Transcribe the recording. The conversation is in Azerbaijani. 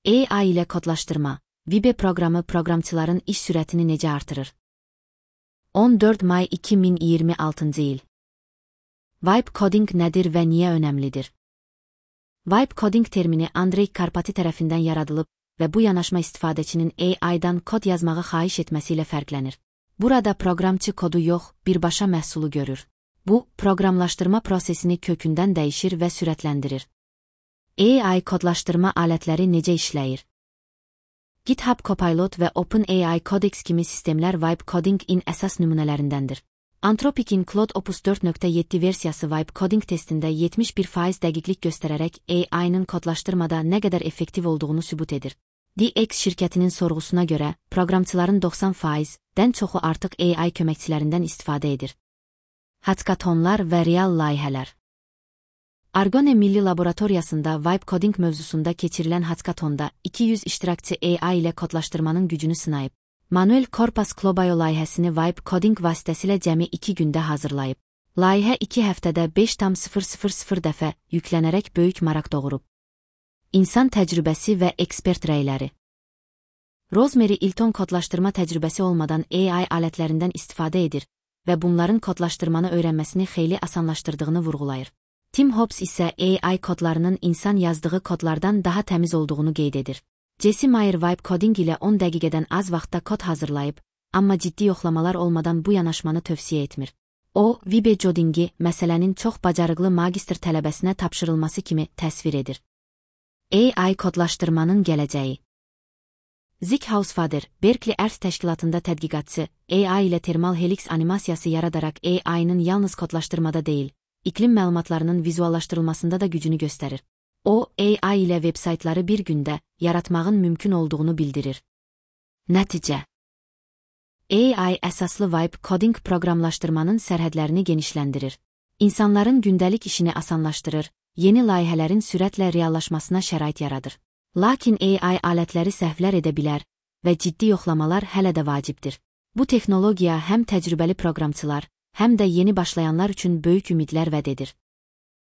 AI ilə kodlaşdırma, Vibe proqramı proqramçıların iş sürətini necə artırır? 14 may 2026 il. Vibe coding nədir və niyə önəmlidir? Vibe coding termini Andrey Karpati tərəfindən yaradılıb və bu yanaşma istifadəçinin AI-dan kod yazmağı xahiş etməsi ilə fərqlənir. Burada proqramçı kodu yox, birbaşa məhsulu görür. Bu, proqramlaşdırma prosesini kökündən dəyişir və sürətləndirir. AI kodlaşdırma alətləri necə işləyir? GitHub Copilot və OpenAI Codex kimi sistemlər Vibe Coding-in əsas nümunələrindəndir. Anthropic'in Claude Opus 4.7 versiyası Vibe Coding testində 71% dəqiqlik göstərərək AI-nın kodlaşdırmada nə qədər effektiv olduğunu sübut edir. DX şirkətinin sorğusuna görə, proqramçıların 90%-dən çoxu artıq AI köməkçilərindən istifadə edir. Hackathonlar və real layihələr. Argonne Milli Laboratoriyasında Vibe Coding mövzusunda keçirilən hackathonda 200 iştirakçı AI ilə kodlaşdırmanın gücünü sınayıb. Manuel Corpas Clobayo layihəsini Vibe Coding vasitəsilə cəmi 2 gündə hazırlayıb. Layihə 2 həftədə 5,000 dəfə yüklənərək böyük maraq doğurub. İnsan təcrübəsi və ekspert rəyləri. Rosemary Ilton kodlaşdırma təcrübəsi olmadan AI alətlərindən istifadə edir və bunların kodlaşdırmanı öyrənməsini xeyli asanlaşdırdığını vurğulayır. Tim Hobbs isə AI kodlarının insan yazdığı kodlardan daha təmiz olduğunu qeyd edir. Jesse Meyer Vibe Coding ilə 10 dəqiqədən az vaxtda kod hazırlayıb, amma ciddi yoxlamalar olmadan bu yanaşmanı tövsiyə etmir. O, Vibe codingi məsələnin çox bacarıqlı magistr tələbəsinə tapşırılması kimi təsvir edir. AI kodlaşdırmanın gələcəyi. Zik Hausfader, Berkeley Earth təşkilatında tədqiqatçı, AI ilə termal helix animasiyası yaradaraq AI-nın yalnız kodlaşdırmada deyil, iklim məlumatlarının vizuallaşdırılmasında da gücünü göstərir. O, AI ilə veb-saytları bir gündə yaratmağın mümkün olduğunu bildirir. Nəticə. AI əsaslı Vibe Coding proqramlaşdırmanın sərhədlərini genişləndirir. İnsanların gündəlik işini asanlaşdırır, yeni layihələrin sürətlə reallaşmasına şərait yaradır. Lakin AI alətləri səhvlər edə bilər və ciddi yoxlamalar hələ də vacibdir. Bu texnologiya həm təcrübəli proqramçılar, həm də yeni başlayanlar üçün böyük ümidlər vəd edir.